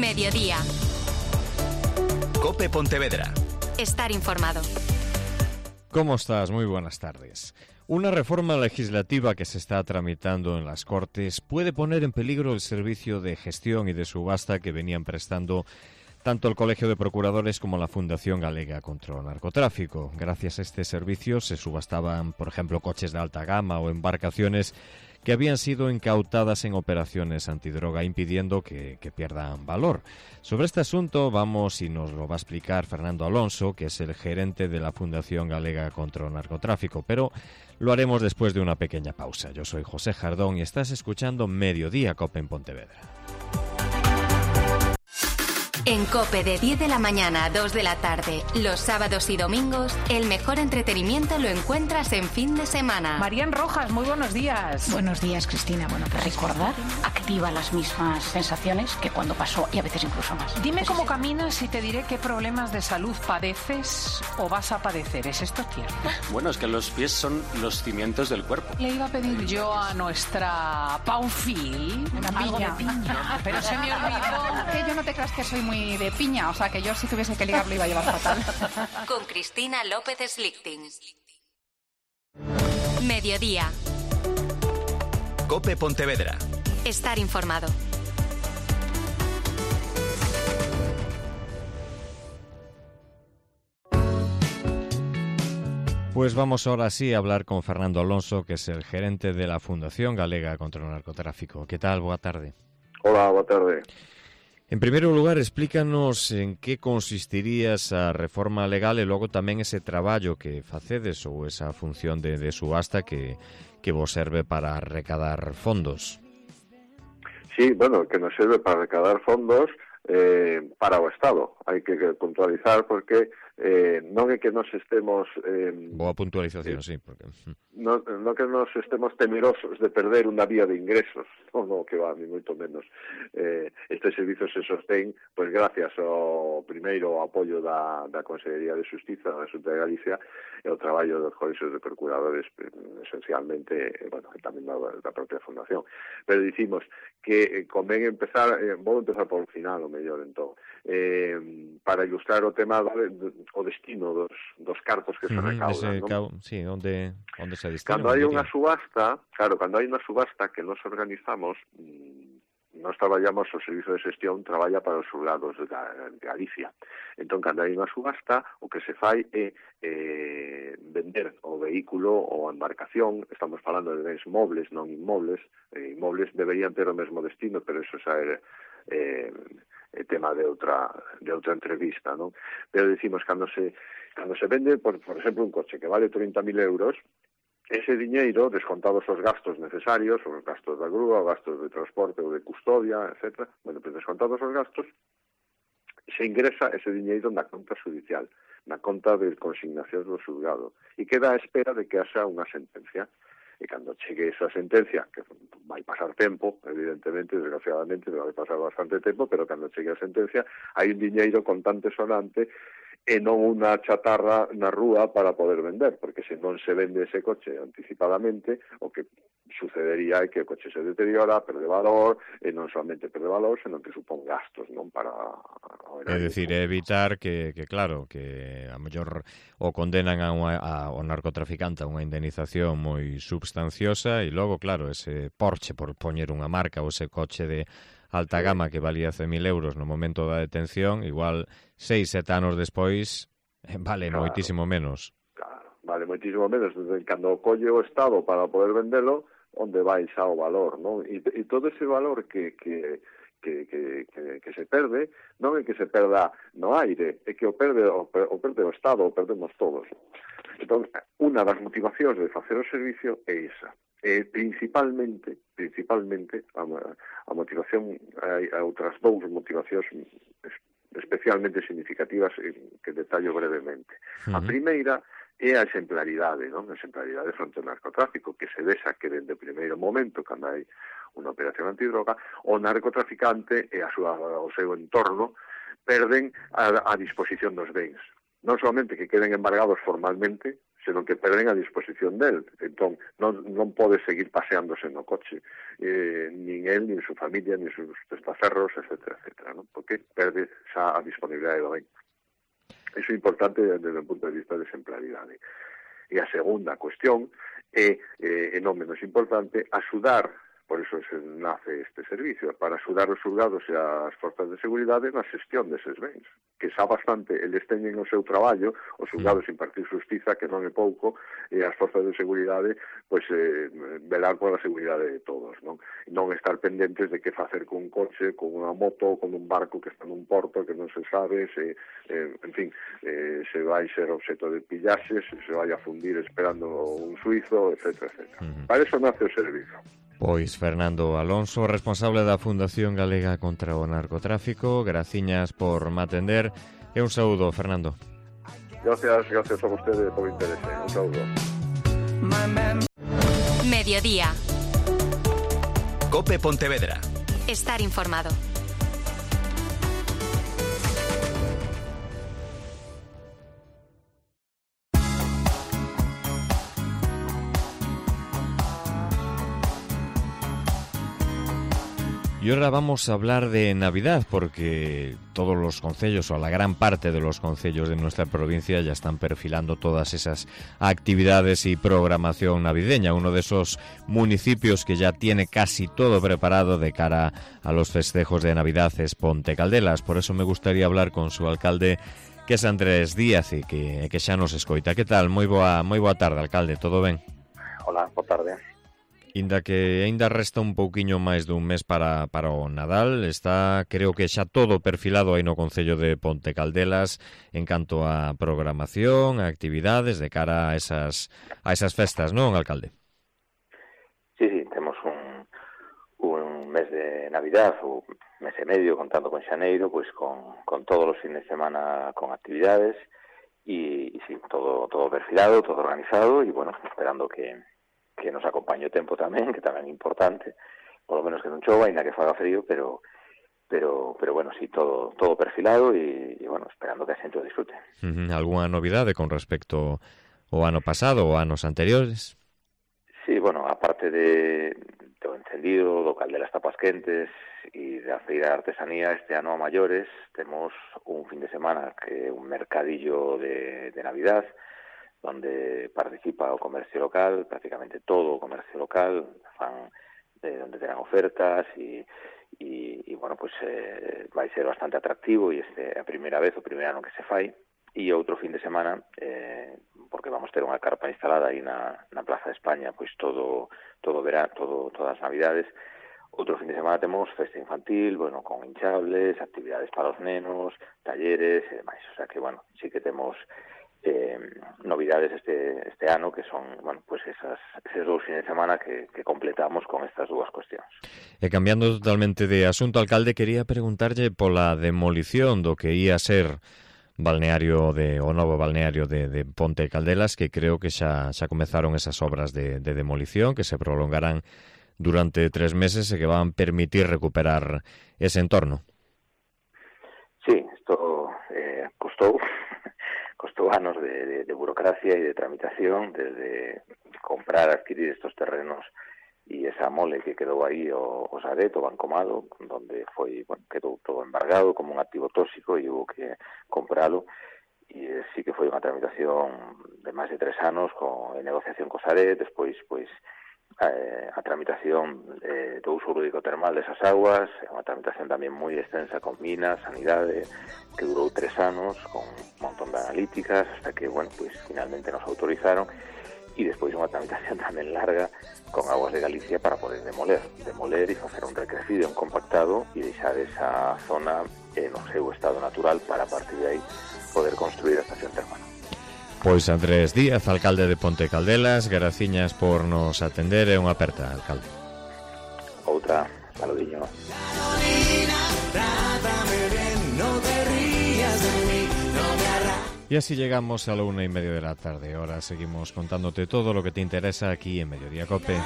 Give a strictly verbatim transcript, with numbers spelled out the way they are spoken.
Mediodía. COPE Pontevedra. Estar informado. ¿Cómo estás? Muy buenas tardes. Una reforma legislativa que se está tramitando en las Cortes puede poner en peligro el servicio de gestión y de subasta que venían prestando tanto el Colegio de Procuradores como la Fundación Galega contra el Narcotráfico. Gracias a este servicio se subastaban, por ejemplo, coches de alta gama o embarcaciones que habían sido incautadas en operaciones antidroga, impidiendo que, que pierdan valor. Sobre este asunto vamos y nos lo va a explicar Fernando Alonso, que es el gerente de la Fundación Galega contra el Narcotráfico, pero lo haremos después de una pequeña pausa. Yo soy José Jardón y estás escuchando Mediodía COPE en Pontevedra. En COPE de diez de la mañana a dos de la tarde, los sábados y domingos, el mejor entretenimiento lo encuentras en fin de semana. Marían Rojas, muy buenos días. Buenos días, Cristina. Bueno, pues recordar activa las mismas sensaciones que cuando pasó y a veces incluso más. Dime Pues cómo es... caminas y te diré qué problemas de salud padeces o vas a padecer. ¿Es esto cierto? Bueno, es que los pies son los cimientos del cuerpo. Le iba a pedir yo a nuestra Paufil algo de piña, pero se me olvidó. Que yo no te creas que soy muy de piña, o sea que yo si tuviese que ligar lo iba a llevar fatal. Con Cristina López Slichting. Mediodía. COPE Pontevedra. Estar informado. Pues vamos ahora sí a hablar con Fernando Alonso, que es el gerente de la Fundación Galega contra el Narcotráfico. ¿Qué tal? Boa tarde. Hola, boa tarde. En primeiro lugar, explícanos en que consistiría esa reforma legal e logo tamén ese traballo que facedes ou esa función de, de subasta que, que vos serve para recadar fondos. Sí, bueno, que nos serve para recadar fondos eh, para o Estado. Hai que puntualizar porque eh, non é que nos estemos... Eh, Boa puntualización, sí. Porque... Non, non que nos estemos temerosos de perder unha vía de ingresos, non, non que va, ni moito menos. Eh, este servicio se sostén, pois gracias ao primeiro apoio da, da Consellería de Xustiza da Xunta de Galicia e o traballo dos colexios de procuradores, esencialmente, bueno, e tamén da, da propia Fundación. Pero dicimos que convén empezar, eh, vou empezar por o final, o mellor, entón, eh, para ilustrar o tema do, o destino dos, dos cartos que se recaudan, ¿no? Sí, onde, onde se destinan. Cando hai unha subasta, claro, cando hai unha subasta que nos organizamos, nos traballamos, o Servicio de Xestión traballa para os xulgados de Galicia. Entón, cando hai unha subasta, o que se fai é eh, vender o vehículo ou a embarcación, estamos falando de bens mobles, non inmobles, eh, inmobles deberían ter o mesmo destino, pero eso xa é eh, é tema de outra de outra entrevista, non? Pero decimos, cando se cando se vende, por, por exemplo, un coche que vale trinta mil euros, ese diñeiro, descontados os gastos necesarios, os gastos da grúa, os gastos de transporte ou de custodia, etcétera, bueno, pues descontados os gastos, se ingresa ese diñeiro na conta judicial, na conta de consignación do xulgado, e queda á espera de que haxa unha sentencia. E cando chegue esa sentencia, que vai pasar tempo, evidentemente, desgraciadamente, vai pasar bastante tempo, pero cando chegue a sentencia, hai un diñeiro contante sonante e non unha chatarra na rúa para poder vender, porque se non se vende ese coche anticipadamente, o que sucedería é que o coche se deteriora, perde valor, e non solamente perde valor, senón que supón gastos, non para... É dicir, evitar que, que claro, que a mellor o condenan a, unha, a o narcotraficante a unha indemnización moi substanciosa e logo, claro, ese Porsche, por poñer unha marca, ou ese coche de alta gama que valía cen mil euros no momento da detención, igual seis, sete anos despois vale claro, moitísimo menos. Claro, vale moitísimo menos. Cando colle o Estado para poder vendelo, onde vai xa o valor, non? E, e todo ese valor que, que, que, que, que, que se perde, non é que se perda no aire, é que o perde o, o perde o Estado, o perdemos todos. Entón, unha das motivacións de facer o servicio é esa. Eh, principalmente, principalmente a, a motivación, hai outras dous motivacións especialmente significativas que detallo brevemente. Uh-huh. A primeira é a exemplaridade, non? A exemplaridade fronte ao narcotráfico, que se vexa que dende o primeiro momento, cando hai unha operación antidroga, o narcotraficante e a súa, o seu entorno perden a, a disposición dos bens. Non solamente que queden embargados formalmente, senón que perden a disposición del. Entón, non, non pode seguir paseándose no coche, eh, nin el, nin su familia, nin sus testaferros, etcétera, etcétera, non? Porque perde xa a disponibilidade do ben. Iso é importante desde o punto de vista de exemplaridade. E a segunda cuestión é, eh, e non menos importante, axudar, por iso se nace este servicio, para axudar os xulgados e as forzas de seguridade na xestión deses bens, que xa bastante eles teñen o seu traballo, os xulgados impartir xustiza, que non é pouco, e as forzas de seguridade, pois, eh, velar pola seguridade de todos, non? E non estar pendentes de que facer con un coche, con unha moto, con un barco que está nun porto, que non se sabe, se, eh, en fin, eh, se vai ser obxeto de pillaxes, se se vai a fundir esperando un suizo, etcétera, etcétera. Uh-huh. Para eso nace o servicio. Pois Fernando Alonso, responsable da Fundación Galega contra o Narcotráfico, graciñas por me atender e un saúdo, Fernando. Gracias, gracias a vostede por interese. Un saúdo. Mediodía. COPE Pontevedra. Estar informado. Y ahora vamos a hablar de Navidad, porque todos los concellos, o la gran parte de los concellos de nuestra provincia, ya están perfilando todas esas actividades y programación navideña. Uno de esos municipios que ya tiene casi todo preparado de cara a los festejos de Navidad es Ponte Caldelas. Por eso me gustaría hablar con su alcalde, que es Andrés Díaz, e que, que xa nos escoita. Que tal? Moi boa, moi boa tarde, alcalde. Todo ben? Hola, boa tarde. Inda que aínda resta un pouquiño máis dun mes para, para o Nadal, está, creo que xa todo perfilado aí no concello de Ponte Caldelas en canto a programación, a actividades de cara a esas a esas festas, non, alcalde? Sí, sí, temos un, un mes de Navidad, un mes e medio, contando con xaneiro, pois con, con todos os fines de semana con actividades, e, e sí, todo, todo perfilado, todo organizado, e bueno, esperando que que nos acompañe o tempo tamén, que tamén é importante, polo menos que non chova, ainda que faga frío, pero pero pero bueno, sí, todo todo perfilado e, e bueno, esperando que a xente o disfrute. Uh-huh. Alguna novidade con respecto ao ano pasado ou anos anteriores? Sí, bueno, aparte de do encendido, do Caldelas Tapas Quentes e da feira de artesanía, este ano a maiores temos un fin de semana que é un mercadillo de, de Navidad, donde participa o comercio local, prácticamente todo o comercio local, fan de donde terán ofertas e, e, e bueno, pues eh, vai ser bastante atractivo e este é a primeira vez, o primeiro ano que se fai, e outro fin de semana, eh, porque vamos ter unha carpa instalada aí na, na Plaza de España, pois todo todo verán, todo todas as Navidades. Outro fin de semana temos festa infantil, bueno, con hinchables, actividades para os nenos, talleres e demais, o sea que, bueno, sí que temos Eh, novidades este este ano que son, bueno, pues esas esos dous fines de semana que, que completamos con estas dúas cuestións. E cambiando totalmente de asunto, alcalde, quería preguntarlle pola demolición do que ia ser balneario de o novo balneario de, de Ponte Caldelas, que creo que xa xa comezaron esas obras de, de demolición que se prolongarán durante tres meses e que van permitir recuperar ese entorno. Sí, isto eh, costou costou anos de, de, de burocracia e de tramitación, desde comprar, adquirir estos terrenos e esa mole que quedou aí o, o Sadet, o Bancomado, donde foi, bueno, quedou todo embargado como un activo tóxico e hubo que compralo, e eh, sí que foi unha tramitación de máis de tres anos con en negociación co Sadet, despois, pois, eh, a tramitación eh, do uso lúdico termal desas aguas, unha tramitación tamén moi extensa con Minas, Sanidade, que durou tres anos, con un montón de analíticas, hasta que, bueno, pues finalmente nos autorizaron, e despois unha tramitación tamén larga con Aguas de Galicia para poder demoler, demoler e facer un recrecido, un compactado e deixar esa zona eh, no seu estado natural para, a partir de aí, poder construir a estación termal. Pois Andrés Díaz, alcalde de Ponte Caldelas, graciñas por nos atender e unha aperta, alcalde. Outra, saludiño. Y así llegamos a la una y media de la tarde. Ahora seguimos contándote todo lo que te interesa aquí en Mediodía COPE.